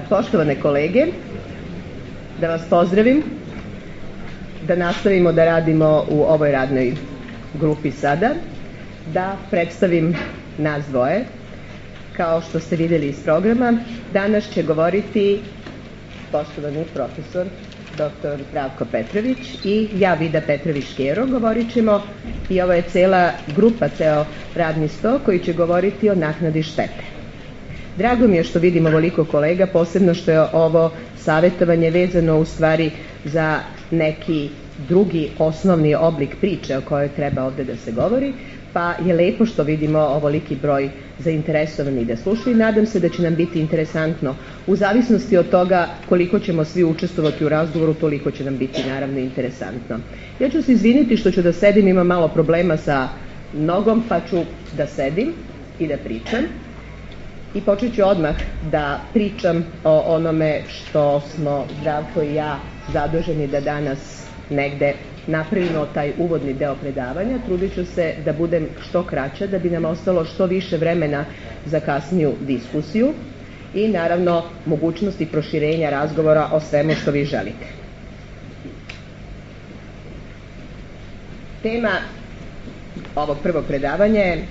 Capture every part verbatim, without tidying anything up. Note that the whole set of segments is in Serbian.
Poštovane kolege, da vas pozdravim, da nastavimo da radimo u ovoj radnoj grupi sada, da predstavim nas dvoje. Kao što ste vidjeli iz programa, danas će govoriti poštovani profesor doktor Zdravko Petrović i ja, Vida Petrović-Škero. Govorit ćemo, i ovo je cela grupa, ceo radni sto koji će govoriti o naknadi štete. Drago mi je što vidim ovoliko kolega, posebno što je ovo savjetovanje vezano u stvari za neki drugi osnovni oblik priče o kojoj treba ovde da se govori, pa je lepo što vidimo ovoliki broj zainteresovanih da slušaju i nadam se da će nam biti interesantno. U zavisnosti od toga koliko ćemo svi učestvovati u razgovoru, toliko će nam biti naravno interesantno. Ja ću se izviniti što ću da sedim, imam malo problema sa nogom, pa ću da sedim i da pričam. I počet ću odmah da pričam o onome što smo Zdravko i ja zaduženi da danas negde napravimo taj uvodni deo predavanja. Trudit ću se da budem što kraća, da bi nam ostalo što više vremena za kasniju diskusiju i naravno mogućnosti proširenja razgovora o svemu što vi želite. Tema ovog prvog predavanja je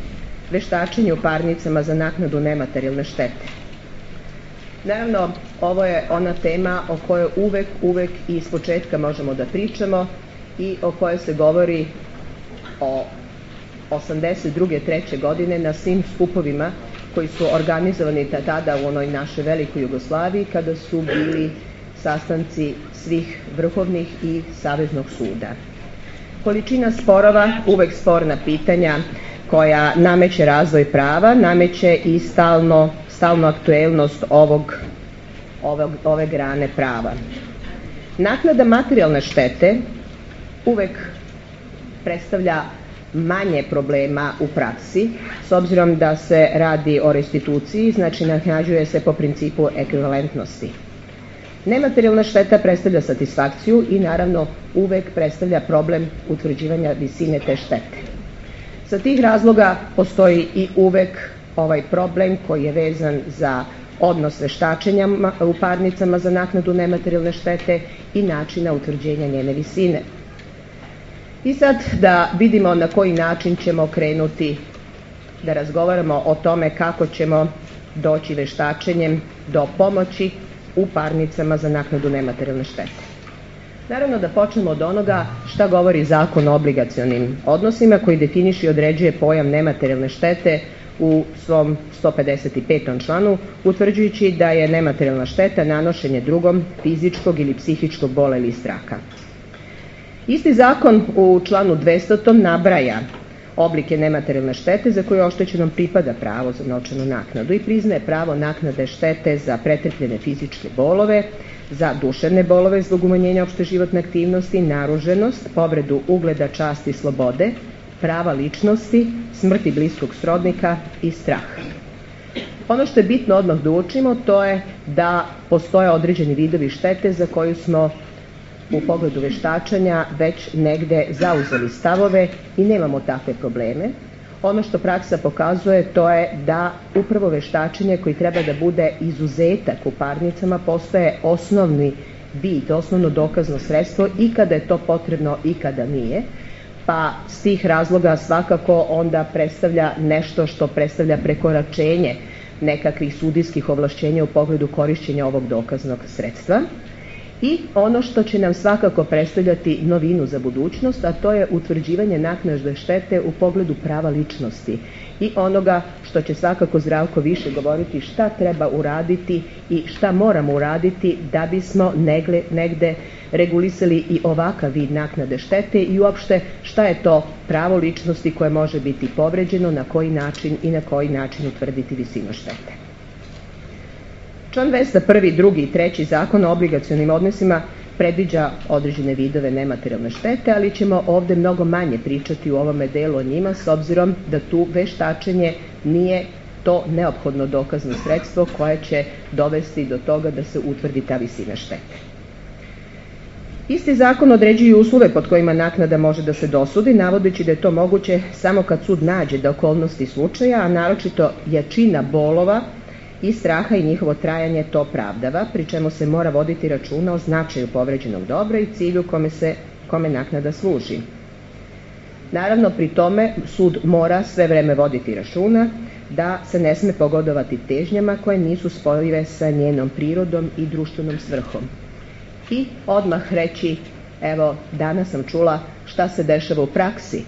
veštačenje u parnicama za naknadu nematerijalne štete. Naravno, ovo je ona tema o kojoj uvek, uvek i iz početka možemo da pričamo i o kojoj se govori o osamdeset druge treće godine na svim skupovima koji su organizovani tada u onoj našoj velikoj Jugoslaviji, kada su bili sastanci svih vrhovnih i saveznog suda. Količina sporova, uvek sporna pitanja koja nameće razvoj prava, nameće i stalno, stalno aktuelnost ovog, ovog, ove grane prava. Naknada materijalne štete uvek predstavlja manje problema u praksi, s obzirom da se radi o restituciji, znači naknadžuje se po principu ekvivalentnosti. Nematerijalna šteta predstavlja satisfakciju i naravno uvek predstavlja problem utvrđivanja visine te štete. Sa tih razloga postoji i uvek ovaj problem koji je vezan za odnos veštačenja u parnicama za naknadu nematerijalne štete i načina utvrđenja njene visine. I sad da vidimo na koji način ćemo krenuti da razgovaramo o tome kako ćemo doći veštačenjem do pomoći u parnicama za naknadu nematerijalne štete. Naravno da počnemo od onoga šta govori Zakon o obligacionim odnosima koji definiše i određuje pojam nematerijalne štete u svom sto pedeset petom članu, utvrđujući da je nematerijalna šteta nanošenje drugom fizičkog ili psihičkog bola ili straha. Isti zakon u članu dvestom nabraja oblike nematerijalne štete za koje oštećenom pripada pravo za novčanu naknadu i priznaje pravo naknade štete za pretrpljene fizičke bolove, za duševne bolove zbog umanjenja opšte životne aktivnosti, naruženost, povredu ugleda, časti i slobode, prava ličnosti, smrti bliskog srodnika i strah. Ono što je bitno odmah da učimo, to je da postoje određeni vidovi štete za koju smo u pogledu veštačenja već negde zauzeli stavove i nemamo takve probleme. Ono što praksa pokazuje, to je da upravo veštačenje koji treba da bude izuzetak u parnicama postaje osnovni vid, osnovno dokazno sredstvo i kada je to potrebno i kada nije, pa s tih razloga svakako onda predstavlja nešto što predstavlja prekoračenje nekakvih sudijskih ovlašćenja u pogledu korišćenja ovog dokaznog sredstva. I ono što će nam svakako predstavljati novinu za budućnost, a to je utvrđivanje naknade štete u pogledu prava ličnosti i onoga što će svakako Zdravko više govoriti šta treba uraditi i šta moramo uraditi da bismo negde, negde regulisali i ovakav vid naknade štete i uopšte šta je to pravo ličnosti koje može biti povređeno, na koji način i na koji način utvrditi visinu štete. Član dvesta prvi, drugi i treći Zakon o obligacionim odnosima predviđa određene vidove nematerijalne štete, ali ćemo ovde mnogo manje pričati u ovome delu o njima, s obzirom da tu veštačenje nije to neophodno dokazno sredstvo koje će dovesti do toga da se utvrdi ta visina štete. Isti zakon određuje uslove pod kojima naknada može da se dosudi, navodeći da je to moguće samo kad sud nađe da okolnosti slučaja, a naročito jačina bolova i straha i njihovo trajanje to opravdava, pri čemu se mora voditi računa o značaju povređenog dobra i cilju kome se kome naknada služi. Naravno, pri tome sud mora sve vreme voditi računa da se ne sme pogodovati težnjama koje nisu spojive sa njenom prirodom i društvenom svrhom. I odmah reći, evo, danas sam čula šta se dešava u praksi.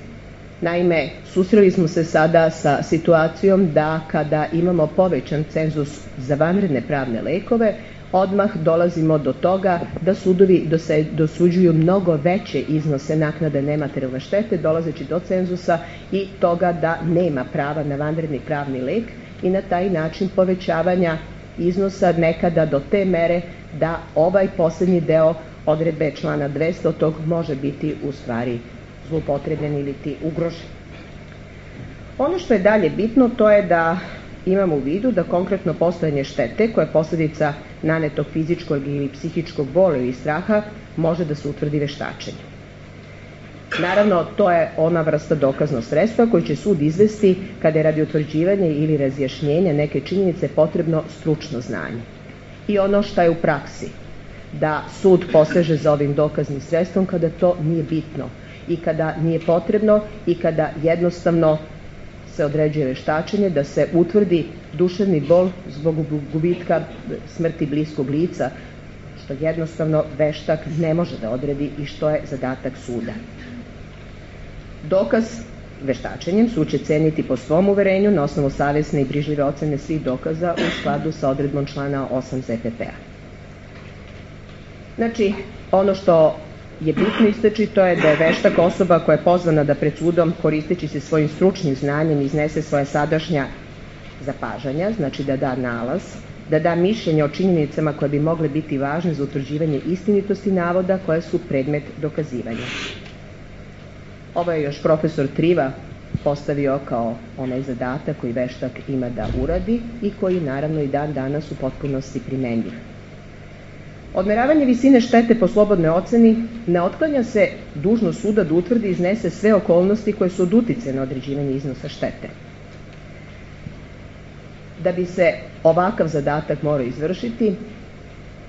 Naime, susreli smo se sada sa situacijom da kada imamo povećan cenzus za vanredne pravne lekove, odmah dolazimo do toga da sudovi dosuđuju mnogo veće iznose naknade nematerijalne štete, dolazeći do cenzusa i toga da nema prava na vanredni pravni lek i na taj način povećavanja iznosa nekada do te mere da ovaj posljednji deo odredbe člana dvesta tog može biti u stvari zloupotrebljen ili ti ugrožen. Ono što je dalje bitno, to je da imamo u vidu da konkretno postojanje štete koja je posljedica nanetog fizičkog ili psihičkog bola ili straha može da se utvrdi veštačenjem. Naravno, to je ona vrsta dokaznog sredstva koju će sud izvesti kada je radi utvrđivanja ili razjašnjenja neke činjenice potrebno stručno znanje. I ono što je u praksi, da sud poseže za ovim dokaznim sredstvom kada to nije bitno i kada nije potrebno i kada jednostavno se određuje veštačenje da se utvrdi duševni bol zbog gubitka smrti bliskog lica, što jednostavno veštak ne može da odredi i što je zadatak suda. Dokaz veštačenjem sud će ceniti po svom uverenju na osnovu savjesne i brižljive ocene svih dokaza u skladu sa odredbom člana osam Z P P-a. Znači, ono što je bitno istaći, to je da je veštak osoba koja je pozvana da pred sudom, koristeći se svojim stručnim znanjem, iznese svoja sadašnja zapažanja, znači da da nalaz, da da mišljenje o činjenicama koje bi mogle biti važne za utvrđivanje istinitosti navoda koje su predmet dokazivanja. Ovo je još profesor Triva postavio kao onaj zadatak koji veštak ima da uradi i koji naravno i dan danas u potpunosti primenljiv. Odmeravanje visine štete po slobodnoj oceni ne otklanja se dužnost suda da utvrdi i iznese sve okolnosti koje su od uticaja na određivanje iznosa štete. Da bi se ovakav zadatak morao izvršiti,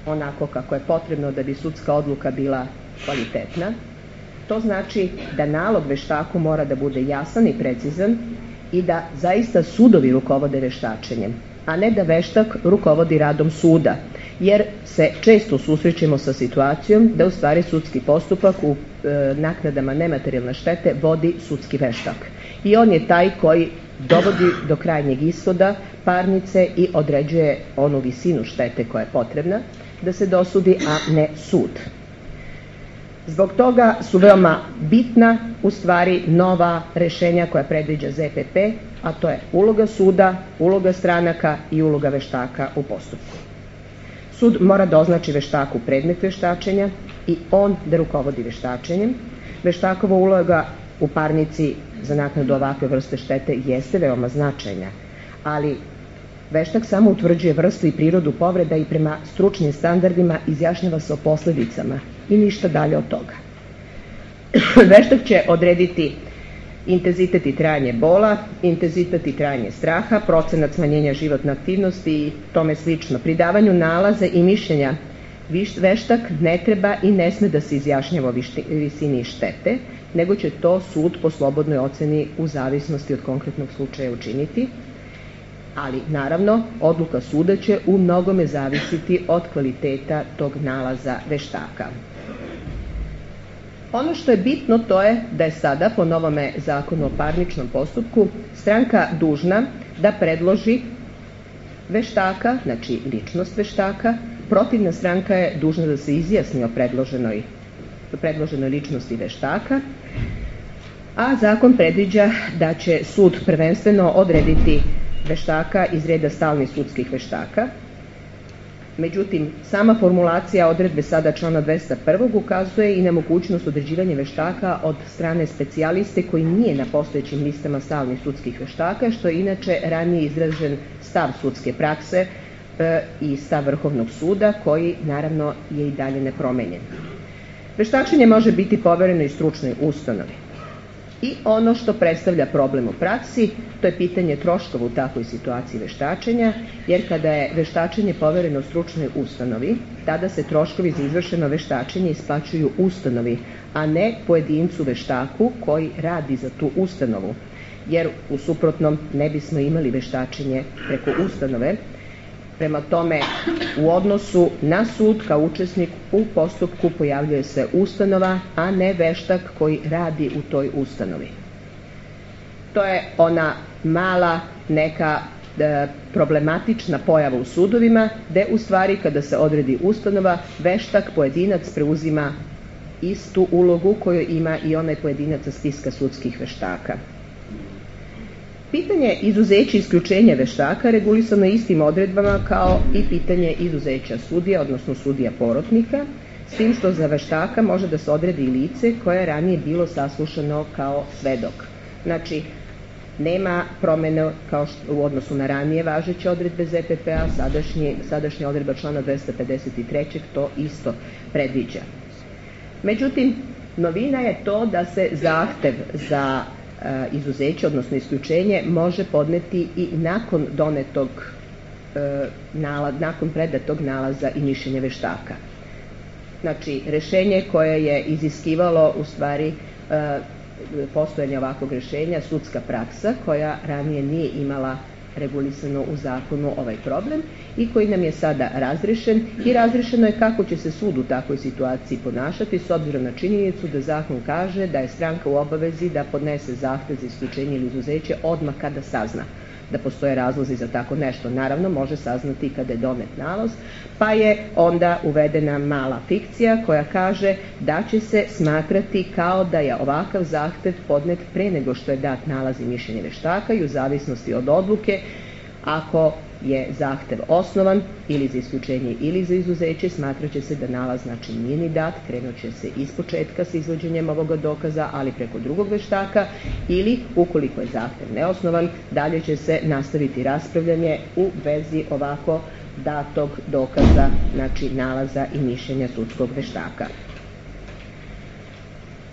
onako kako je potrebno da bi sudska odluka bila kvalitetna, to znači da nalog veštaku mora da bude jasan i precizan i da zaista sudovi rukovode veštačenjem, a ne da veštak rukovodi radom suda, jer se često susrećemo sa situacijom da u stvari sudski postupak u e, naknadama nematerijalne štete vodi sudski veštak. I on je taj koji dovodi do krajnjeg ishoda parnice i određuje onu visinu štete koja je potrebna da se dosudi, a ne sud. Zbog toga su veoma bitna u stvari nova rešenja koja predviđa Z P P, a to je uloga suda, uloga stranaka i uloga veštaka u postupku. Sud mora da označi veštaku predmet veštačenja i on da rukovodi veštačenjem. Veštakova uloga u parnici za naknadu ovakve vrste štete jeste veoma značajna, ali veštak samo utvrđuje vrstu i prirodu povreda i prema stručnim standardima izjašnjava se o posledicama i ništa dalje od toga. Veštak će odrediti intenzitet i trajanje bola, intenzitet i trajanje straha, procenat smanjenja životne aktivnosti i tome slično. Pri davanju nalaza i mišljenja veštak ne treba i ne sme da se izjašnjava o visini štete, nego će to sud po slobodnoj oceni u zavisnosti od konkretnog slučaja učiniti, ali naravno odluka suda će u mnogome zavisiti od kvaliteta tog nalaza veštaka. Ono što je bitno to je da je sada po novome zakonu o parničnom postupku stranka dužna da predloži veštaka, znači ličnost veštaka, protivna stranka je dužna da se izjasni o predloženoj, predloženoj ličnosti veštaka, a zakon predviđa da će sud prvenstveno odrediti veštaka iz reda stalnih sudskih veštaka. Međutim, sama formulacija odredbe sada člana dvesta jedan ukazuje i na mogućnost određivanja veštaka od strane specijaliste koji nije na postojećim listama stalnih sudskih veštaka, što je inače ranije izražen stav sudske prakse e, i stav Vrhovnog suda, koji naravno je i dalje nepromenjen. Veštačenje može biti povereno i stručnoj ustanovi. I ono što predstavlja problem u praksi, to je pitanje troškova u takvoj situaciji veštačenja, jer kada je veštačenje povereno stručnoj ustanovi, tada se troškovi za izvršeno veštačenje isplaćuju ustanovi, a ne pojedincu veštaku koji radi za tu ustanovu, jer u suprotnom ne bismo imali veštačenje preko ustanove. Prema tome, u odnosu na sud kao učesnik u postupku pojavljuje se ustanova, a ne veštak koji radi u toj ustanovi. To je ona mala neka e, problematična pojava u sudovima, gde u stvari kada se odredi ustanova, veštak pojedinac preuzima istu ulogu koju ima i onaj pojedinac sa spiska sudskih veštaka. Pitanje izuzeća i isključenja veštaka regulisano je istim odredbama kao i pitanje izuzeća sudija, odnosno sudija porotnika, s tim što za veštaka može da se odredi i lice koje je ranije bilo saslušano kao svedok. Znači, nema promene kao što, u odnosu na ranije važeće odredbe Z P P-a, sadašnja odredba člana dvesta pedeset tri to isto predviđa. Međutim, novina je to da se zahtev za izuzeće, odnosno isključenje, može podneti i nakon donetog nakon predatog nalaza i mišljenja veštaka. Znači, rešenje koje je iziskivalo u stvari postojanje ovakvog rešenja, sudska praksa koja ranije nije imala regulisano u zakonu ovaj problem i koji nam je sada razrešen i razrešeno je kako će se sud u takvoj situaciji ponašati s obzirom na činjenicu da zakon kaže da je stranka u obavezi da podnese zahtev za isključenje ili izuzeće odmah kada sazna da postoje razlozi za tako nešto. Naravno, može saznati kada je donet nalaz, pa je onda uvedena mala fikcija koja kaže da će se smatrati kao da je ovakav zahtev podnet pre nego što je dat nalaz i mišljenje veštaka i u zavisnosti od odluke, ako je zahtev osnovan ili za isključenje ili za izuzeće, smatrat će se da nalaz znači nije ni dat, krenut će se iz početka sa izvođenjem ovoga dokaza, ali preko drugog veštaka, ili ukoliko je zahtev neosnovan, dalje će se nastaviti raspravljanje u vezi ovako datog dokaza, znači nalaza i mišljenja sudskog veštaka.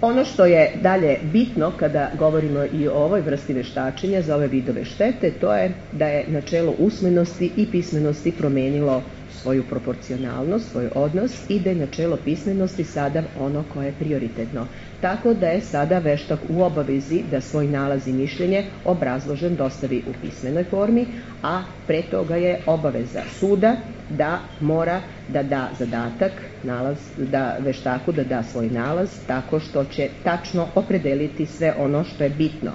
Ono što je dalje bitno kada govorimo i o ovoj vrsti veštačenja za ove vidove štete, to je da je načelo usmenosti i pismenosti promenilo svoju proporcionalnost, svoj odnos i da je načelo pismenosti sada ono koje je prioritetno. Tako da je sada veštak u obavezi da svoj nalaz i mišljenje obrazložen dostavi u pismenoj formi, a pre toga je obaveza suda da mora da da zadatak nalaz, da veštaku da da svoj nalaz tako što će tačno opredeliti sve ono što je bitno.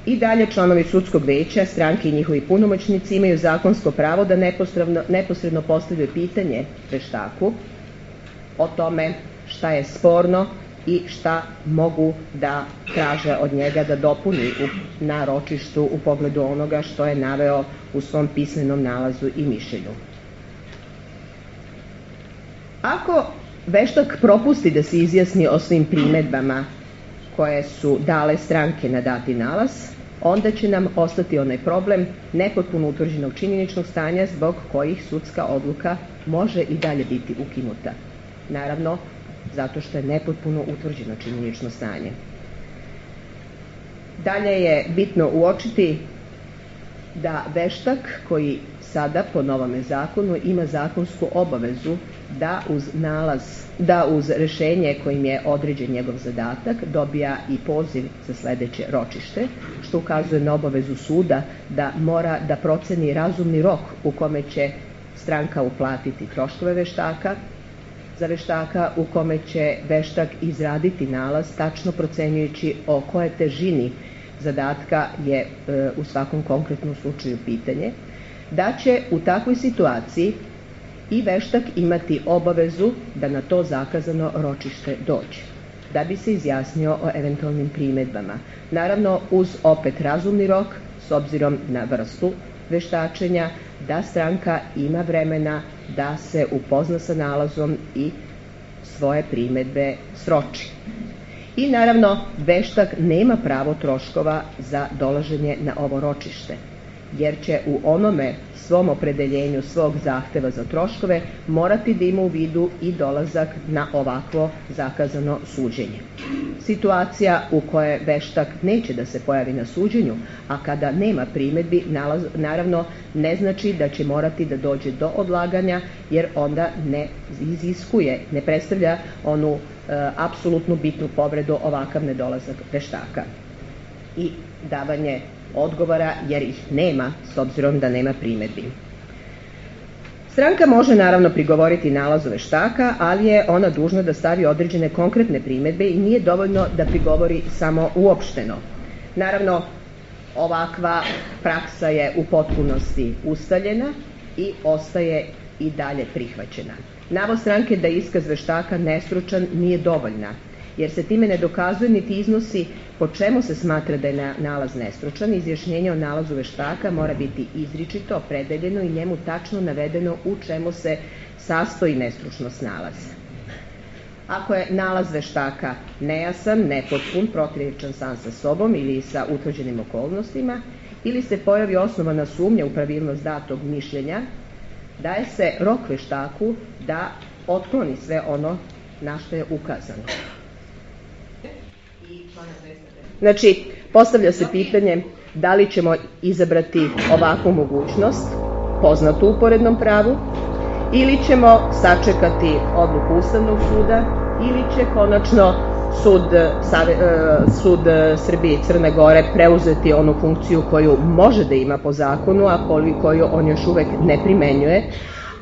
I dalje članovi sudskog veća, stranke i njihovi punomoćnici imaju zakonsko pravo da neposredno, neposredno postavljaju pitanje veštaku o tome šta je sporno i šta mogu da traže od njega da dopuni u, na ročištu u pogledu onoga što je naveo u svom pismenom nalazu i mišljenju. Ako veštak propusti da se izjasni o svim primedbama koje su dale stranke na dati nalaz, onda će nam ostati onaj problem nepotpuno utvrđenog činjeničnog stanja zbog kojih sudska odluka može i dalje biti ukinuta. Naravno, zato što je nepotpuno utvrđeno činjenično stanje. Dalje je bitno uočiti da veštak koji sada po novome zakonu ima zakonsku obavezu da uz nalaz, da uz rešenje kojim je određen njegov zadatak dobija i poziv za sledeće ročište, što ukazuje na obavezu suda da mora da proceni razumni rok u kome će stranka uplatiti troškove veštaka, za veštaka u kome će veštak izraditi nalaz tačno procenjujući o koje težini zadatka je e, u svakom konkretnom slučaju pitanje, da će u takvoj situaciji i veštak imati obavezu da na to zakazano ročište dođe, da bi se izjasnio o eventualnim primedbama. Naravno, uz opet razumni rok, s obzirom na vrstu veštačenja, da stranka ima vremena da se upozna sa nalazom i svoje primedbe sroči. I naravno, veštak nema pravo troškova za dolaženje na ovo ročište, jer će u onome svom opredeljenju svog zahteva za troškove morati da ima u vidu i dolazak na ovakvo zakazano suđenje. situacija u kojoj veštak neće da se pojavi na suđenju, a kada nema primedbi, naravno ne znači da će morati da dođe do odlaganja, jer onda ne iziskuje, ne predstavlja onu e, apsolutnu bitnu povredu ovakav nedolazak veštaka i davanje odgovora, jer ih nema, s obzirom da nema primedbi. Stranka može naravno prigovoriti nalazu veštaka, ali je ona dužna da stavi određene konkretne primedbe i nije dovoljno da prigovori samo uopšteno. Naravno, ovakva praksa je u potpunosti ustaljena i ostaje i dalje prihvaćena. Navod stranke da je iskaz veštaka nestručan nije dovoljna, jer se time ne dokazuje niti iznosi po čemu se smatra da je nalaz nestručan. Izjašnjenje o nalazu veštaka mora biti izričito, opredeljeno i njemu tačno navedeno u čemu se sastoji nestručnost nalaza. Ako je nalaz veštaka nejasan, nepotpun, protivječan sam sa sobom ili sa utvrđenim okolnostima, ili se pojavi osnovana sumnja u pravilnost datog mišljenja, daje se rok veštaku da otkloni sve ono na što je ukazano. Znači, postavlja se pitanje da li ćemo izabrati ovakvu mogućnost, poznatu u porednom pravu, ili ćemo sačekati odluku Ustavnog suda, ili će konačno sud, sud Srbije i Crne Gore preuzeti onu funkciju koju može da ima po zakonu, a koju on još uvek ne primenjuje,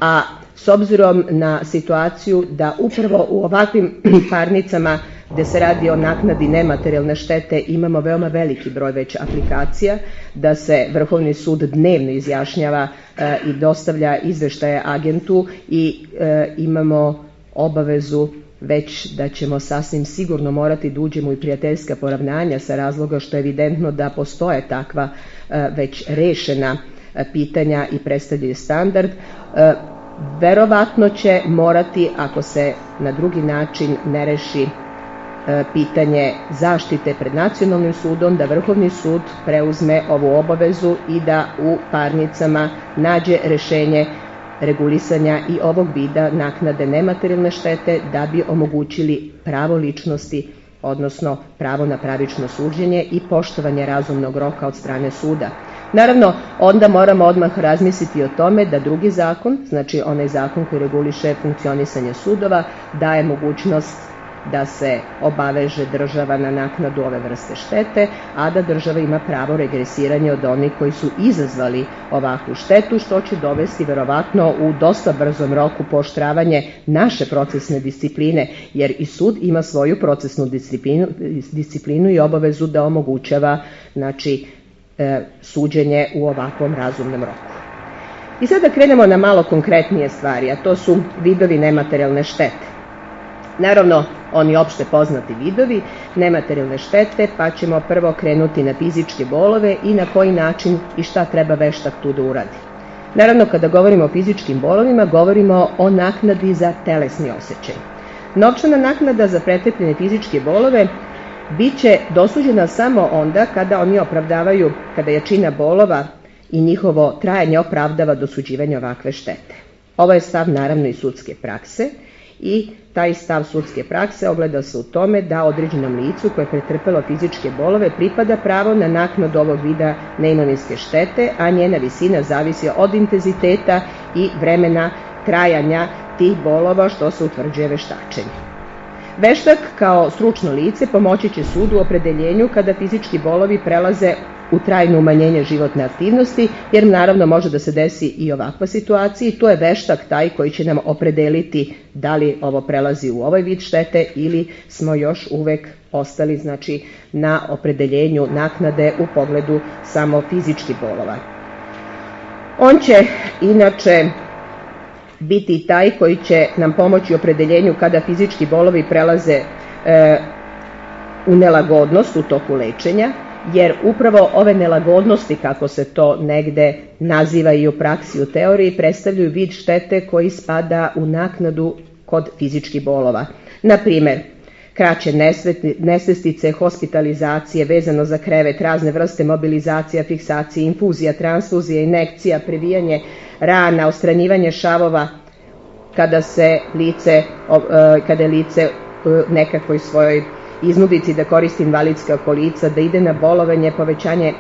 a s obzirom na situaciju da upravo u ovakvim parnicama gde se radi o naknadi nematerijalne štete imamo veoma veliki broj već aplikacija, da se Vrhovni sud dnevno izjašnjava e, i dostavlja izveštaje agentu i e, imamo obavezu već da ćemo sasvim sigurno morati da uđemo i prijateljska poravnanja sa razloga što je evidentno da postoje takva e, već rešena e, pitanja i predstavljaju standard. E, verovatno će morati, ako se na drugi način ne reši pitanje zaštite pred nacionalnim sudom, da Vrhovni sud preuzme ovu obavezu i da u parnicama nađe rešenje regulisanja i ovog vida naknade nematerijalne štete da bi omogućili pravo ličnosti, odnosno pravo na pravično suđenje i poštovanje razumnog roka od strane suda. Naravno, onda moramo odmah razmisliti o tome da drugi zakon, znači onaj zakon koji reguliše funkcionisanje sudova, daje mogućnost da se obaveže država na naknadu ove vrste štete, a da država ima pravo regresiranja od onih koji su izazvali ovakvu štetu, što će dovesti verovatno u dosta brzom roku pooštravanje naše procesne discipline, jer i sud ima svoju procesnu disciplinu, disciplinu i obavezu da omogućava, znači, e, suđenje u ovakvom razumnom roku. I sada krenemo na malo konkretnije stvari, a to su vidovi nematerijalne štete. Naravno, oni opšte poznati vidovi nematerijalne štete, pa ćemo prvo krenuti na fizičke bolove i na koji način i šta treba veštak tu da uradi. Naravno, kada govorimo o fizičkim bolovima, govorimo o naknadi za telesni osjećaj. Novčana naknada za pretrpljene fizičke bolove bit će dosuđena samo onda kada oni opravdavaju, kada jačina bolova i njihovo trajanje opravdava dosuđivanje ovakve štete. Ovo je stav naravno i sudske prakse i taj stav sudske prakse ogleda se u tome da određenom licu koje je pretrpelo fizičke bolove pripada pravo na naknadu ovog vida neimovinske štete, a njena visina zavisi od intenziteta i vremena trajanja tih bolova što se utvrđuje veštačenjem. Veštak kao stručno lice pomoći će sudu u opredeljenju kada fizički bolovi prelaze u trajno umanjenje životne aktivnosti, jer naravno može da se desi i ovakva situacija i tu je veštak taj koji će nam opredeliti da li ovo prelazi u ovaj vid štete ili smo još uvek ostali, znači, na opredeljenju naknade u pogledu samo fizičkih bolova. On će inače biti taj koji će nam pomoći u opredeljenju kada fizički bolovi prelaze e, u nelagodnost u toku lečenja, jer upravo ove nelagodnosti, kako se to negde naziva i u praksi u teoriji, predstavljaju vid štete koji spada u naknadu kod fizičkih bolova. Na primer, kraće nesvestice, hospitalizacije vezano za krevet, razne vrste mobilizacija, fiksacije, infuzija, transfuzija, injekcija, previjanje rana, odstranjivanje šavova kada se lice, kada je lice nekakvoj svojoj iznudici da koristi invalidska kolica, da ide na bolovanje, povećanje,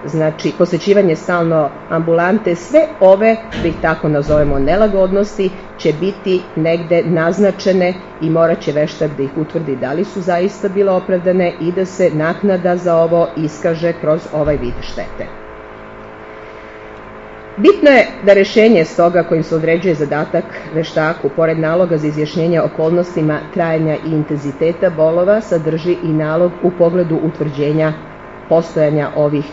znači posećivanje stalno ambulante, sve ove, da ih tako nazovemo, nelagodnosti će biti negde naznačene i morat će veštak da ih utvrdi da li su zaista bile opravdane i da se naknada za ovo iskaže kroz ovaj vid štete. Bitno je da rešenje stoga kojim se određuje zadatak veštaku, pored naloga za izjašnjenje okolnostima trajanja i intenziteta bolova, sadrži i nalog u pogledu utvrđenja postojanja ovih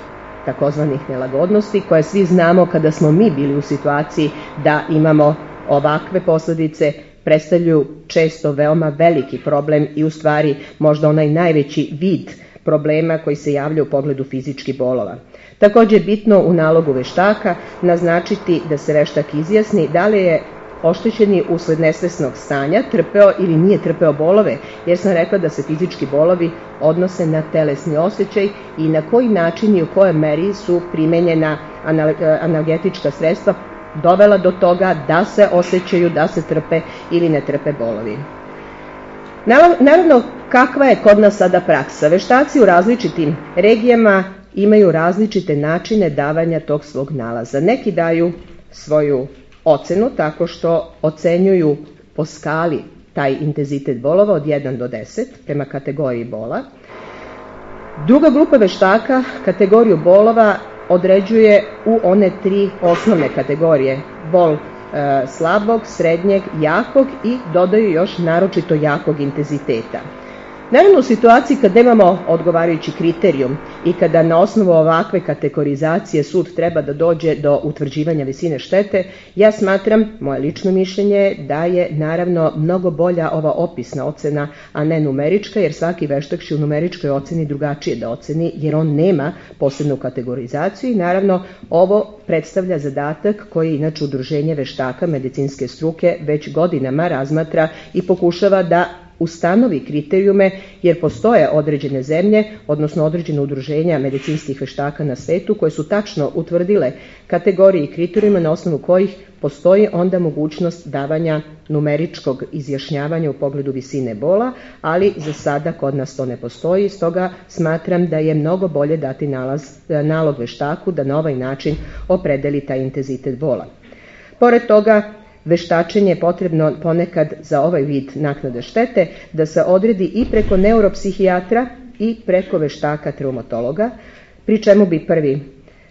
takozvanih nelagodnosti, koje svi znamo kada smo mi bili u situaciji da imamo ovakve posledice, predstavljaju često veoma veliki problem i u stvari možda onaj najveći vid problema koji se javlja u pogledu fizičkih bolova. Također je bitno u nalogu veštaka naznačiti da se veštak izjasni da li je oštećeni usled nesvesnog stanja trpeo ili nije trpeo bolove, jer sam rekla da se fizički bolovi odnose na telesni osjećaj i na koji način i u kojoj meri su primenjena analgetička sredstva dovela do toga da se osjećaju, da se trpe ili ne trpe bolovi. Naravno, kakva je kod nas sada praksa? Veštaci u različitim regijama imaju različite načine davanja tog svog nalaza. Neki daju svoju ocenu tako što ocenjuju po skali taj intenzitet bolova od jedan do deset prema kategoriji bola. Druga grupa veštaka kategoriju bolova određuje u one tri osnovne kategorije: bol e, slabog, srednjeg, jakog i dodaju još naročito jakog intenziteta. Naravno, u situaciji kad nemamo odgovarajući kriterijum i kada na osnovu ovakve kategorizacije sud treba da dođe do utvrđivanja visine štete, ja smatram, moje lično mišljenje, da je naravno mnogo bolja ova opisna ocena, a ne numerička, jer svaki veštak će u numeričkoj oceni drugačije da oceni, jer on nema posebnu kategorizaciju i naravno ovo predstavlja zadatak koji inače Udruženje veštaka medicinske struke već godinama razmatra i pokušava da ustanovi kriterijume, jer postoje određene zemlje, odnosno određene udruženja medicinskih veštaka na svetu koje su tačno utvrdile kategorije i kriterijume na osnovu kojih postoji onda mogućnost davanja numeričkog izjašnjavanja u pogledu visine bola, ali za sada kod nas to ne postoji, stoga smatram da je mnogo bolje dati nalaz, nalog veštaku da na ovaj način opredeli taj intenzitet bola. Pored toga, veštačenje je potrebno ponekad za ovaj vid naknade štete da se odredi i preko neuropsihijatra i preko veštaka traumatologa, pri čemu bi prvi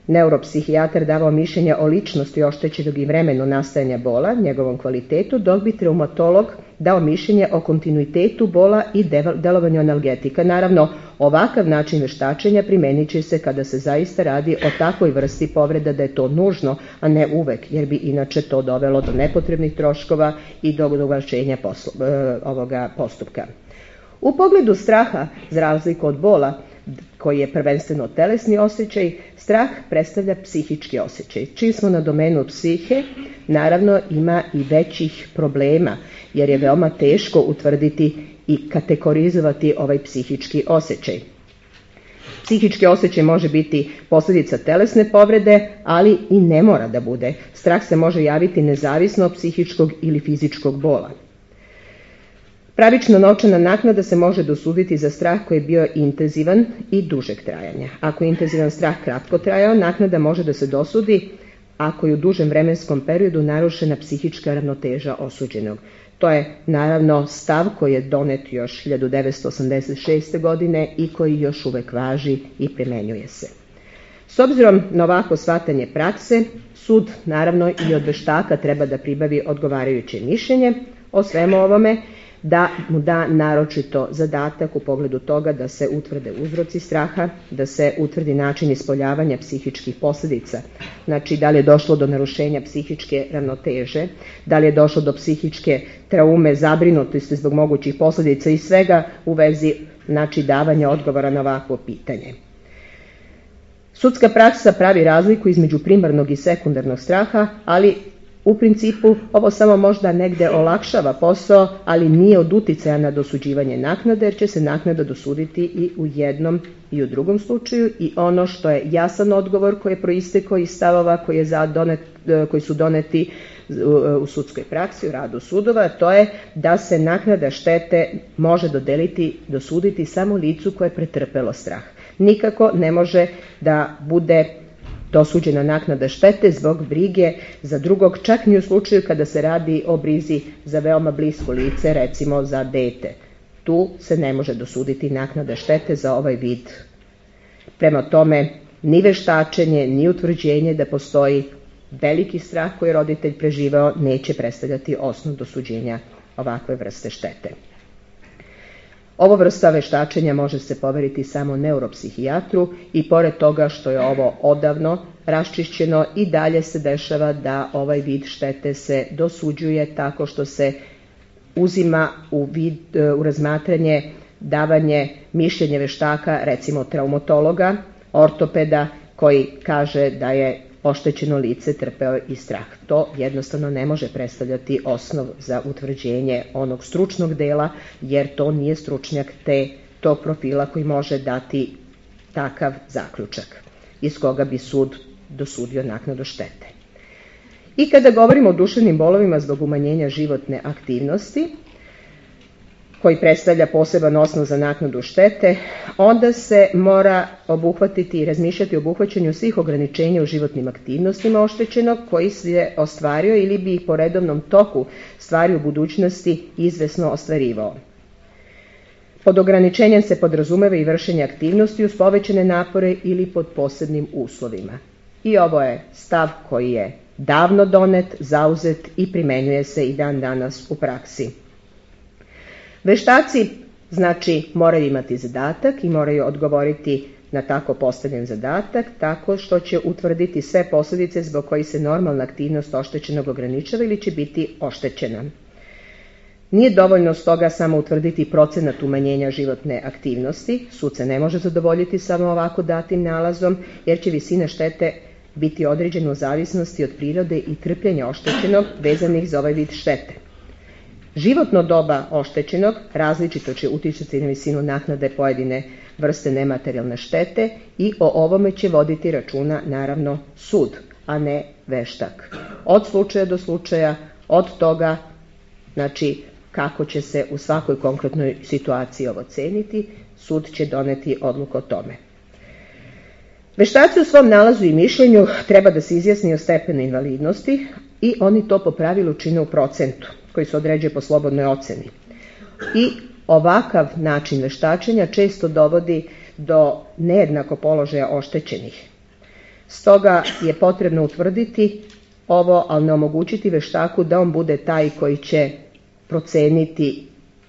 neuropsihijatar davao mišljenja o ličnosti oštećenog i vremenu nastajanja bola, njegovom kvalitetu, dok bi traumatolog dao mišljenje o kontinuitetu bola i delovanju analgetika. Naravno, ovakav način veštačenja primenit će se kada se zaista radi o takvoj vrsti povreda da je to nužno, a ne uvek, jer bi inače to dovelo do nepotrebnih troškova i do ugašenja ovoga postupka. U pogledu straha, za razliku od bola, koji je prvenstveno telesni osjećaj, strah predstavlja psihički osjećaj. Čim smo na domenu psihe, naravno ima i većih problema, jer je veoma teško utvrditi i kategorizovati ovaj psihički osjećaj. Psihički osjećaj može biti posljedica telesne povrede, ali i ne mora da bude. Strah se može javiti nezavisno od psihičkog ili fizičkog bola. Pravična novčana naknada se može dosuditi za strah koji je bio intenzivan i dužeg trajanja. Ako je intenzivan strah kratko trajao, naknada može da se dosudi ako je u dužem vremenskom periodu narušena psihička ravnoteža osuđenog. To je naravno stav koji je donet još hiljadu devetsto osamdeset šeste. godine i koji još uvek važi i primenjuje se. S obzirom na ovako shvatanje prakse, sud naravno i od veštaka treba da pribavi odgovarajuće mišljenje o svemu ovome, da mu da naročito zadatak u pogledu toga da se utvrde uzroci straha, da se utvrdi način ispoljavanja psihičkih posljedica, znači da li je došlo do narušenja psihičke ravnoteže, da li je došlo do psihičke traume, zabrinutosti zbog mogućih posljedica i svega u vezi znači davanja odgovora na ovakvo pitanje. Sudska praksa pravi razliku između primarnog i sekundarnog straha, ali u principu ovo samo možda negde olakšava posao, ali nije od uticaja na dosuđivanje naknade, jer će se naknada dosuditi i u jednom i u drugom slučaju i ono što je jasan odgovor koji je proistekao iz stavova koji, je donet, koji su doneti u sudskoj praksi, u radu sudova, to je da se naknada štete može dodeliti, dosuditi samo licu koje je pretrpelo strah. Nikako ne može da bude dosuđena naknada štete zbog brige za drugog, čak ni u slučaju kada se radi o brizi za veoma blisko lice, recimo za dete. Tu se ne može dosuditi naknada štete za ovaj vid. Prema tome, ni veštačenje, ni utvrđenje da postoji veliki strah koji je roditelj preživao neće predstavljati osnov dosuđenja ovakve vrste štete. Ovo vrsta veštačenja može se poveriti samo neuropsihijatru i pored toga što je ovo odavno raščišćeno i dalje se dešava da ovaj vid štete se dosuđuje tako što se uzima u, vid, u razmatranje davanje mišljenja veštaka, recimo traumatologa, ortopeda koji kaže da je oštećeno lice trpeo i strah. To jednostavno ne može predstavljati osnov za utvrđenje onog stručnog dela, jer to nije stručnjak te, tog profila koji može dati takav zaključak, iz koga bi sud dosudio naknadu štete. I kada govorimo o duševnim bolovima zbog umanjenja životne aktivnosti, koji predstavlja poseban osnov za naknadu štete, onda se mora obuhvatiti i razmišljati o obuhvaćanju svih ograničenja u životnim aktivnostima oštećenog koji se ostvario ili bi ih po redovnom toku stvari u budućnosti izvesno ostvarivao. Pod ograničenjem se podrazumeva i vršenje aktivnosti uz povećane napore ili pod posebnim uslovima. I ovo je stav koji je davno donet, zauzet i primenjuje se i dan danas u praksi. Veštaci, znači, moraju imati zadatak i moraju odgovoriti na tako postavljen zadatak, tako što će utvrditi sve posljedice zbog kojih se normalna aktivnost oštećenog ograničava ili će biti oštećena. Nije dovoljno stoga samo utvrditi procenat umanjenja životne aktivnosti, sud se ne može zadovoljiti samo ovako datim nalazom, jer će visina štete biti određena u zavisnosti od prirode i trpljenja oštećenog vezanih za ovaj vid štete. Životno doba oštećenog različito će uticati na visinu naknade pojedine vrste nematerijalne štete i o ovome će voditi računa naravno sud, a ne veštak. Od slučaja do slučaja, od toga, znači kako će se u svakoj konkretnoj situaciji ovo ceniti, sud će doneti odluku o tome. Veštaci u svom nalazu i mišljenju treba da se izjasni o stepenu invalidnosti i oni to po pravilu čine u procentu koji se određuje po slobodnoj oceni. I ovakav način veštačenja često dovodi do nejednako položaja oštećenih. Stoga je potrebno utvrditi ovo, ali ne omogućiti veštaku da on bude taj koji će proceniti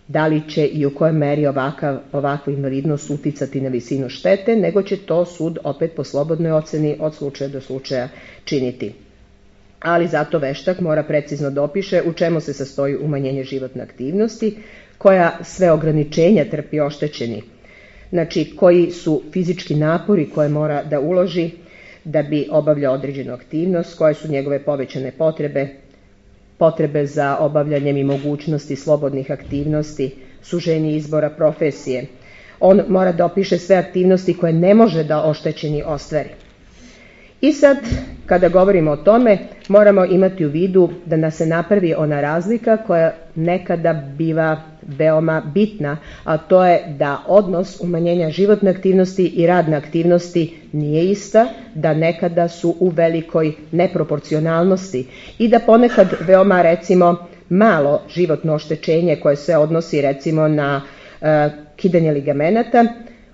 da li će i u kojoj meri ovakav, ovakva invalidnost uticati na visinu štete, nego će to sud opet po slobodnoj oceni od slučaja do slučaja činiti. Ali zato veštak mora precizno da opiše u čemu se sastoji umanjenje životne aktivnosti, koja sve ograničenja trpi oštećeni, znači koji su fizički napori koje mora da uloži da bi obavljao određenu aktivnost, koje su njegove povećane potrebe, potrebe za obavljanjem i mogućnosti slobodnih aktivnosti, suženje izbora profesije. On mora da opiše sve aktivnosti koje ne može da oštećeni ostvari. I sad, kada govorimo o tome, moramo imati u vidu da nas se napravi ona razlika koja nekada biva veoma bitna, a to je da odnos umanjenja životne aktivnosti i radne aktivnosti nije ista, da nekada su u velikoj neproporcionalnosti i da ponekad veoma, recimo, malo životno oštećenje koje se odnosi, recimo, na e, kidanje ligamenata,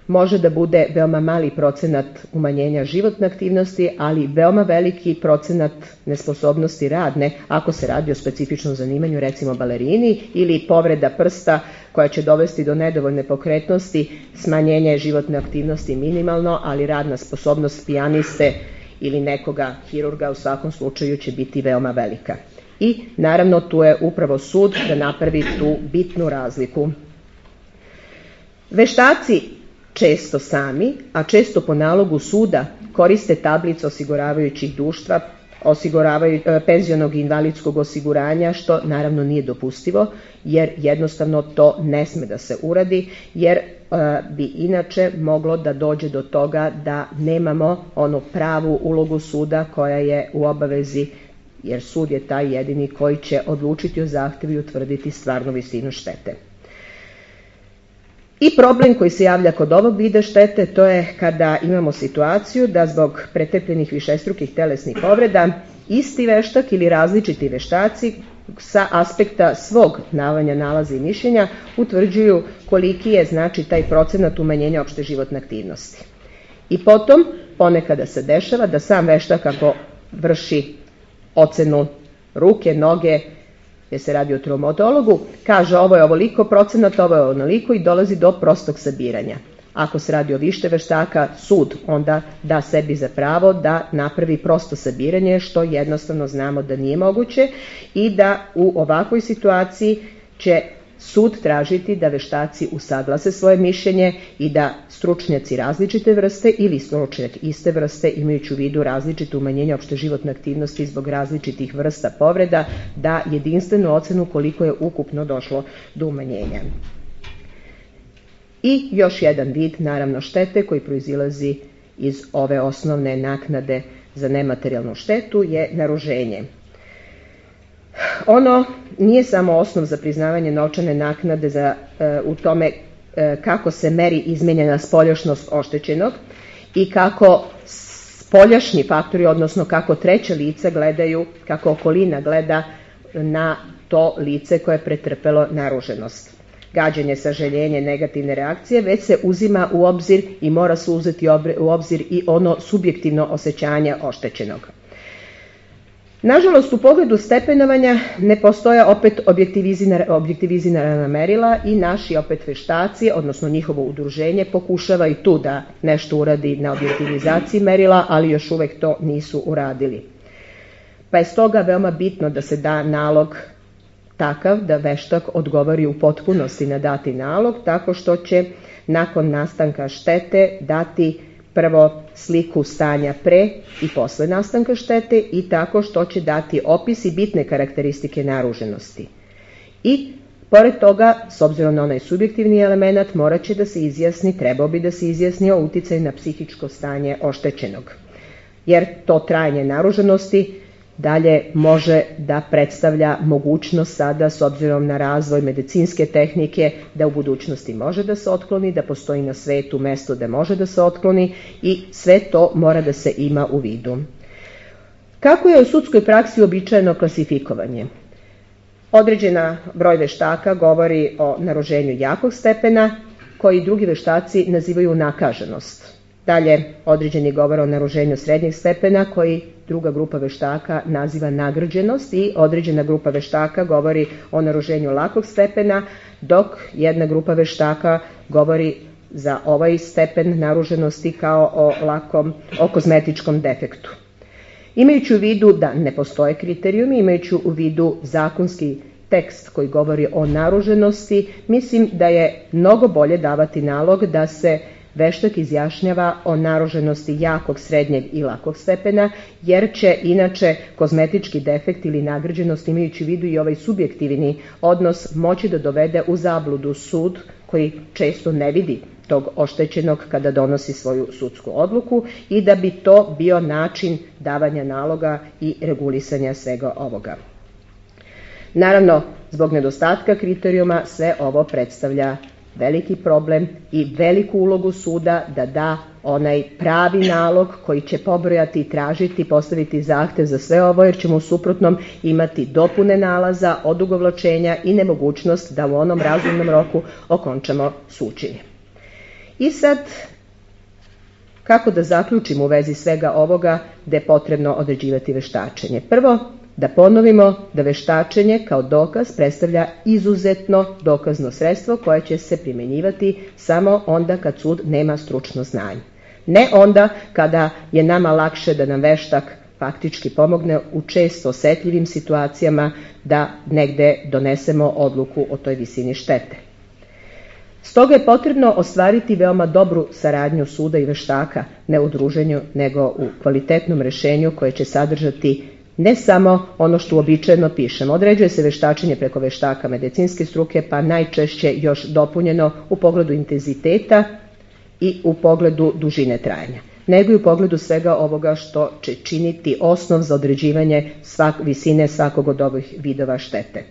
može da bude veoma mali procenat umanjenja životne aktivnosti, ali veoma veliki procenat nesposobnosti radne, ako se radi o specifičnom zanimanju, recimo balerini, ili povreda prsta koja će dovesti do nedovoljne pokretnosti, smanjenje životne aktivnosti minimalno, ali radna sposobnost pijaniste ili nekoga hirurga u svakom slučaju će biti veoma velika. I naravno tu je upravo sud da napravi tu bitnu razliku. Veštaci često sami, a često po nalogu suda koriste tablice osiguravajućih društva, osiguravaju, penzionog i invalidskog osiguranja, što naravno nije dopustivo, jer jednostavno to ne sme da se uradi, jer e, bi inače moglo da dođe do toga da nemamo onu pravu ulogu suda koja je u obavezi jer sud je taj jedini koji će odlučiti o zahtjevu i utvrditi stvarnu visinu štete. I problem koji se javlja kod ovog vida štete, to je kada imamo situaciju da zbog pretrpljenih višestrukih telesnih povreda isti veštak ili različiti veštaci sa aspekta svog davanja nalaza i mišljenja utvrđuju koliki je znači taj procenat umanjenja opšte životne aktivnosti. I potom ponekada se dešava da sam veštak ako vrši ocenu ruke, noge, jer se radi o traumatologu, kaže ovo je ovoliko procenat, ovo je onoliko i dolazi do prostog sabiranja. Ako se radi o više veštaka, sud onda da sebi za pravo da napravi prosto sabiranje, što jednostavno znamo da nije moguće i da u ovakvoj situaciji će sud tražiti da veštaci usaglase svoje mišljenje i da stručnjaci različite vrste ili stručnjak iste vrste, imajući u vidu različite umanjenja opšte životne aktivnosti zbog različitih vrsta povreda, da jedinstvenu ocenu koliko je ukupno došlo do umanjenja. I još jedan vid, naravno, štete koji proizilazi iz ove osnovne naknade za nematerijalnu štetu je naruženje. Ono nije samo osnov za priznavanje novčane naknade za, e, u tome e, kako se meri izmenjena spoljašnost oštećenog i kako spoljašnji faktori, odnosno kako treća lica gledaju, kako okolina gleda na to lice koje je pretrpelo naruženost. Gađanje, sažaljenje, negativne reakcije, već se uzima u obzir i mora se uzeti u obzir i ono subjektivno osjećanje oštećenog. Nažalost, u pogledu stepenovanja ne postoje opet objektivizirana merila i naši opet veštaci, odnosno njihovo udruženje, pokušava i tu da nešto uradi na objektivizaciji merila, ali još uvek to nisu uradili. Pa je stoga veoma bitno da se da nalog takav da veštak odgovori u potpunosti na dati nalog, tako što će nakon nastanka štete dati prvo sliku stanja pre i posle nastanka štete i tako što će dati opis i bitne karakteristike naruženosti. I pored toga, s obzirom na onaj subjektivni element, morat će da se izjasni, trebao bi da se izjasni o uticaju na psihičko stanje oštećenog. Jer to trajanje naruženosti dalje može da predstavlja mogućnost sada, s obzirom na razvoj medicinske tehnike, da u budućnosti može da se otkloni, da postoji na svetu mesto da može da se otkloni i sve to mora da se ima u vidu. Kako je u sudskoj praksi uobičajeno klasifikovanje? Određena broj veštaka govori o naruženju jakog stepena, koji drugi veštaci nazivaju nakaženost. Dalje, određeni govor o naruženju srednjeg stepena, koji druga grupa veštaka naziva nagrđenost i određena grupa veštaka govori o naruženju lakog stepena, dok jedna grupa veštaka govori za ovaj stepen naruženosti kao o lakom, o kozmetičkom defektu. Imajući u vidu da ne postoje kriterijumi, imajući u vidu zakonski tekst koji govori o naruženosti, mislim da je mnogo bolje davati nalog da se veštak izjašnjava o naruženosti jakog, srednjeg i lakog stepena, jer će inače kozmetički defekt ili nagrđenost, imajući u vidu i ovaj subjektivni odnos, moći da dovede u zabludu sud koji često ne vidi tog oštećenog kada donosi svoju sudsku odluku i da bi to bio način davanja naloga i regulisanja svega ovoga. Naravno, zbog nedostatka kriterijuma sve ovo predstavlja veliki problem i veliku ulogu suda da da onaj pravi nalog koji će pobrojati i tražiti, postaviti zahtev za sve ovo, jer ćemo u suprotnom imati dopune nalaza, odugovlačenja i nemogućnost da u onom razumnom roku okončamo suđenje. I sad, kako da zaključimo u vezi svega ovoga da je potrebno određivati veštačenje? Prvo, da ponovimo da veštačenje kao dokaz predstavlja izuzetno dokazno sredstvo koje će se primjenjivati samo onda kad sud nema stručno znanje. Ne onda kada je nama lakše da nam veštak faktički pomogne u često osetljivim situacijama da negde donesemo odluku o toj visini štete. Stoga je potrebno ostvariti veoma dobru saradnju suda i veštaka, ne u druženju, nego u kvalitetnom rešenju koje će sadržati ne samo ono što uobičajeno pišemo. Određuje se veštačenje preko veštaka medicinske struke, pa najčešće još dopunjeno u pogledu intenziteta i u pogledu dužine trajanja. nego i u pogledu svega ovoga što će činiti osnov za određivanje svak, visine svakog od ovih vidova štete.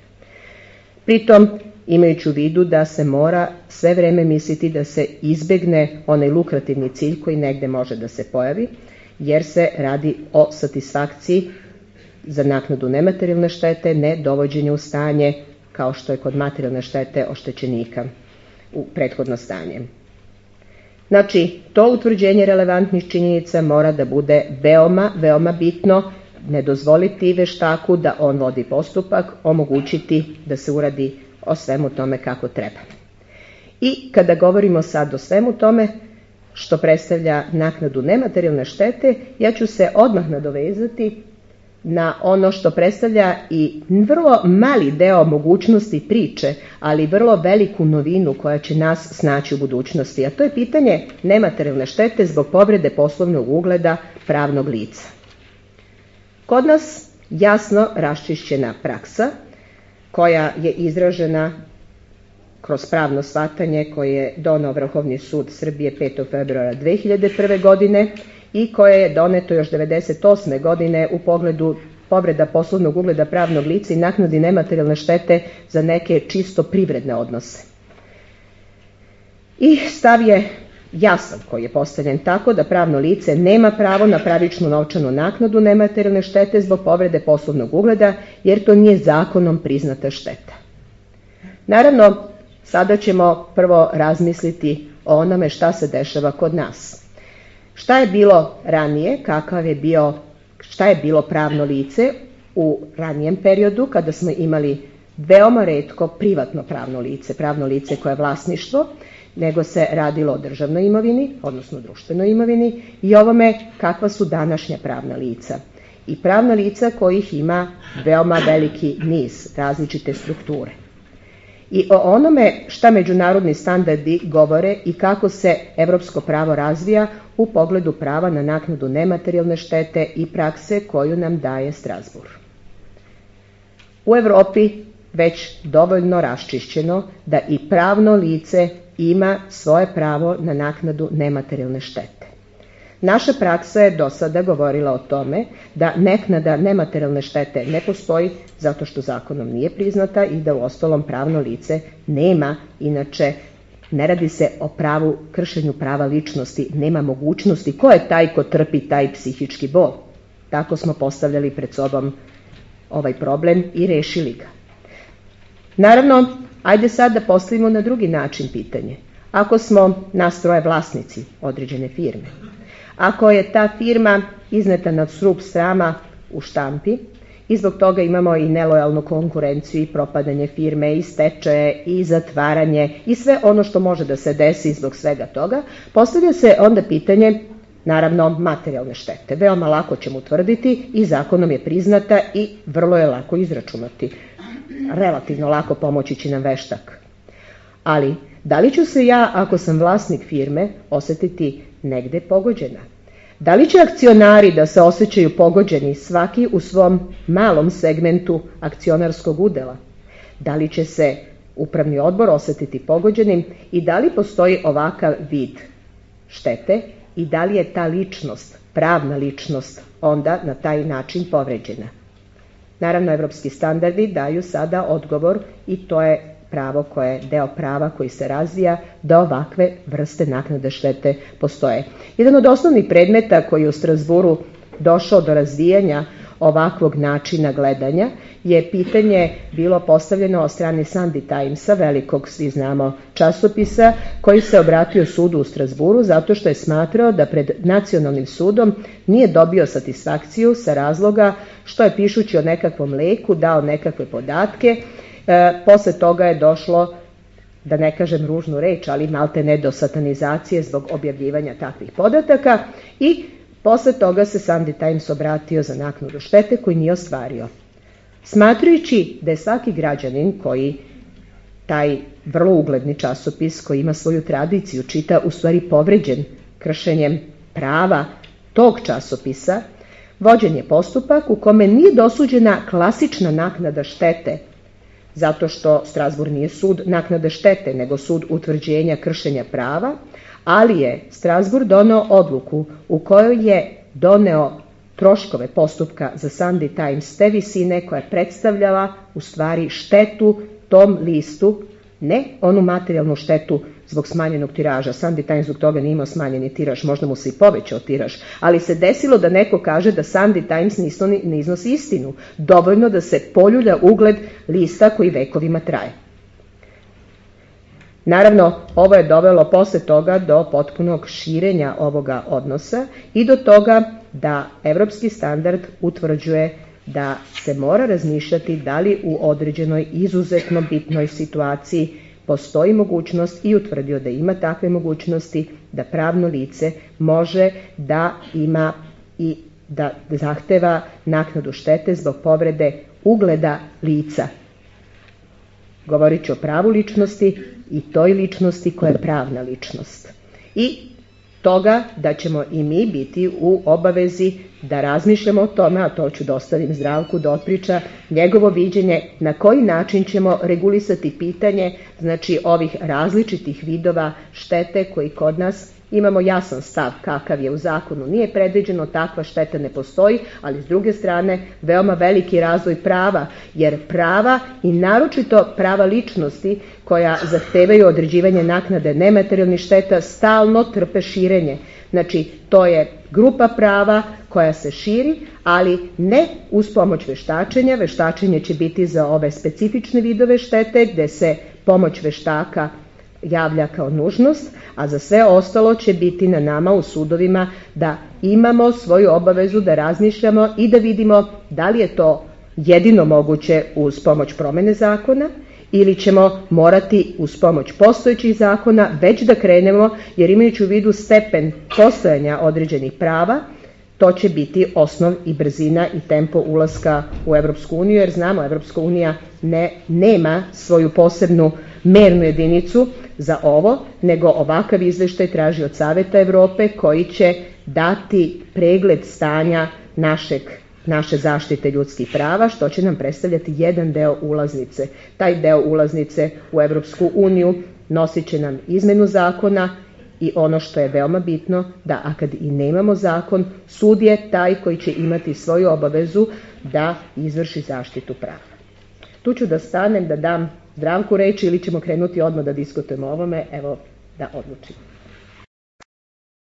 Pritom, imajući u vidu da se mora sve vreme misliti da se izbegne onaj lukrativni cilj koji negde može da se pojavi, jer se radi o satisfakciji za naknadu nematerijalne štete, ne dovođenje u stanje kao što je kod materijalne štete oštećenika u prethodno stanje. Znači, to utvrđenje relevantnih činjenica mora da bude veoma, veoma bitno, ne dozvoliti veštaku da on vodi postupak, omogućiti da se uradi o svemu tome kako treba. I kada govorimo sad o svemu tome što predstavlja naknadu nematerijalne štete, ja ću se odmah nadovezati na ono što predstavlja i vrlo mali deo mogućnosti priče, ali vrlo veliku novinu koja će nas snaći u budućnosti, a to je pitanje nematerijalne štete zbog povrede poslovnog ugleda pravnog lica. Kod nas jasno raščišćena praksa koja je izražena kroz pravno shvatanje koje je doneo Vrhovni sud Srbije petog februara dve hiljade prve. godine i koje je doneto još devedeset osme. godine u pogledu povreda poslovnog ugleda pravnog lica i naknadi nematerijalne štete za neke čisto privredne odnose. I stav je jasan koji je postavljen tako da pravno lice nema pravo na pravičnu novčanu naknadu nematerijalne štete zbog povrede poslovnog ugleda, jer to nije zakonom priznata šteta. Naravno, sada ćemo prvo razmisliti o onome šta se dešava kod nas. Šta je bilo ranije, kakav je bio, šta je bilo pravno lice u ranijem periodu kada smo imali veoma retko privatno pravno lice, pravno lice koje je vlasništvo, nego se radilo o državnoj imovini, odnosno društvenoj imovini, i ovome kakva su današnja pravna lica. I pravna lica kojih ima veoma veliki niz, različite strukture. I o onome šta međunarodni standardi govore i kako se evropsko pravo razvija u pogledu prava na naknadu nematerijalne štete i prakse koju nam daje Strazbur. U Evropi već dovoljno raščišćeno da i pravno lice ima svoje pravo na naknadu nematerijalne štete. Naša praksa je do sada govorila o tome da naknada nematerijalne štete ne postoji zato što zakonom nije priznata i da u ostalom pravno lice nema, inače ne radi se o pravu, kršenju prava ličnosti, nema mogućnosti ko je taj ko trpi taj psihički bol. Tako smo postavljali pred sobom ovaj problem i rešili ga. Naravno, ajde sad da postavimo na drugi način pitanje. Ako smo nas troje vlasnici određene firme, ako je ta firma izneta na srub srama u štampi i zbog toga imamo i nelojalnu konkurenciju i propadanje firme i stečaje i zatvaranje i sve ono što može da se desi zbog svega toga, postavlja se onda pitanje, naravno, materijalne štete. Veoma lako ćemo utvrditi i zakonom je priznata i vrlo je lako izračunati. Relativno lako pomoći će nam veštak. Ali, da li ću se ja, ako sam vlasnik firme, osetiti negde pogođena? Da li će akcionari da se osjećaju pogođeni svaki u svom malom segmentu akcionarskog udela? Da li će se upravni odbor osetiti pogođenim i da li postoji ovakav vid štete i da li je ta ličnost, pravna ličnost, onda na taj način povređena? Naravno, evropski standardi daju sada odgovor i to je pravo koje je deo prava koji se razvija da ovakve vrste naknade štete postoje. Jedan od osnovnih predmeta koji je u Strazburu došao do razvijanja ovakvog načina gledanja je pitanje bilo postavljeno od strane Sunday Timesa, velikog, svi znamo, časopisa, koji se obratio sudu u Strazburu zato što je smatrao da pred nacionalnim sudom nije dobio satisfakciju sa razloga što je pišući o nekakvom leku dao nekakve podatke. E, posle toga je došlo, da ne kažem ružnu reč, ali malte ne do satanizacije zbog objavljivanja takvih podataka i posle toga se Sunday Times obratio za naknadu štete koju nije ostvario. Smatrajući da je svaki građanin koji taj vrlo ugledni časopis koji ima svoju tradiciju čita u stvari povređen kršenjem prava tog časopisa, vođen je postupak u kome nije dosuđena klasična naknada štete, zato što Strazbur nije sud naknade štete, nego sud utvrđenja kršenja prava, ali je Strasbourg doneo odluku u kojoj je doneo troškove postupka za Sunday Times te visine koja je predstavljala u stvari štetu tom listu, ne onu materijalnu štetu zbog smanjenog tiraža. Sunday Times zbog toga nije imao smanjeni tiraž, možda mu se i povećao tiraž, ali se desilo da neko kaže da Sunday Times ne iznosi istinu, dovoljno da se poljulja ugled lista koji vekovima traje. Naravno, ovo je dovelo posle toga do potpunog širenja ovoga odnosa i do toga da evropski standard utvrđuje da se mora razmišljati da li u određenoj izuzetno bitnoj situaciji postoji mogućnost i utvrdio da ima takve mogućnosti da pravno lice može da ima i da zahteva naknadu štete zbog povrede ugleda lica. Govorit ću o pravu ličnosti i toj ličnosti koja je pravna ličnost. I toga da ćemo i mi biti u obavezi da razmišljamo o tome, a to ću da ostavim Zdravku da otpriča njegovo viđenje, na koji način ćemo regulisati pitanje znači ovih različitih vidova štete koji kod nas imamo jasan stav kakav je u zakonu. Nije predviđeno, takva šteta ne postoji, ali s druge strane veoma veliki razvoj prava, jer prava i naročito prava ličnosti koja zahtevaju određivanje naknade nematerijalnih šteta stalno trpe širenje. Znači, to je grupa prava koja se širi, ali ne uz pomoć veštačenja. Veštačenje će biti za ove specifične vidove štete gde se pomoć veštaka javlja kao nužnost, a za sve ostalo će biti na nama u sudovima da imamo svoju obavezu da razmišljamo i da vidimo da li je to jedino moguće uz pomoć promene zakona ili ćemo morati uz pomoć postojećih zakona već da krenemo, jer imajući u vidu stepen postojanja određenih prava, to će biti osnov i brzina i tempo ulaska u Evropsku uniju, jer znamo Evropska unija ne, nema svoju posebnu mernu jedinicu za ovo, nego ovakav izveštaj traži od Saveta Evrope koji će dati pregled stanja našeg, naše zaštite ljudskih prava, što će nam predstavljati jedan deo ulaznice. Taj deo ulaznice u Evropsku uniju nosit će nam izmenu zakona i ono što je veoma bitno, da a kad i nemamo zakon, sud je taj koji će imati svoju obavezu da izvrši zaštitu prava. Tu ću da stanem, da dam Zdravku reči ili ćemo krenuti odmah da diskutujemo o ovome, evo da odlučimo.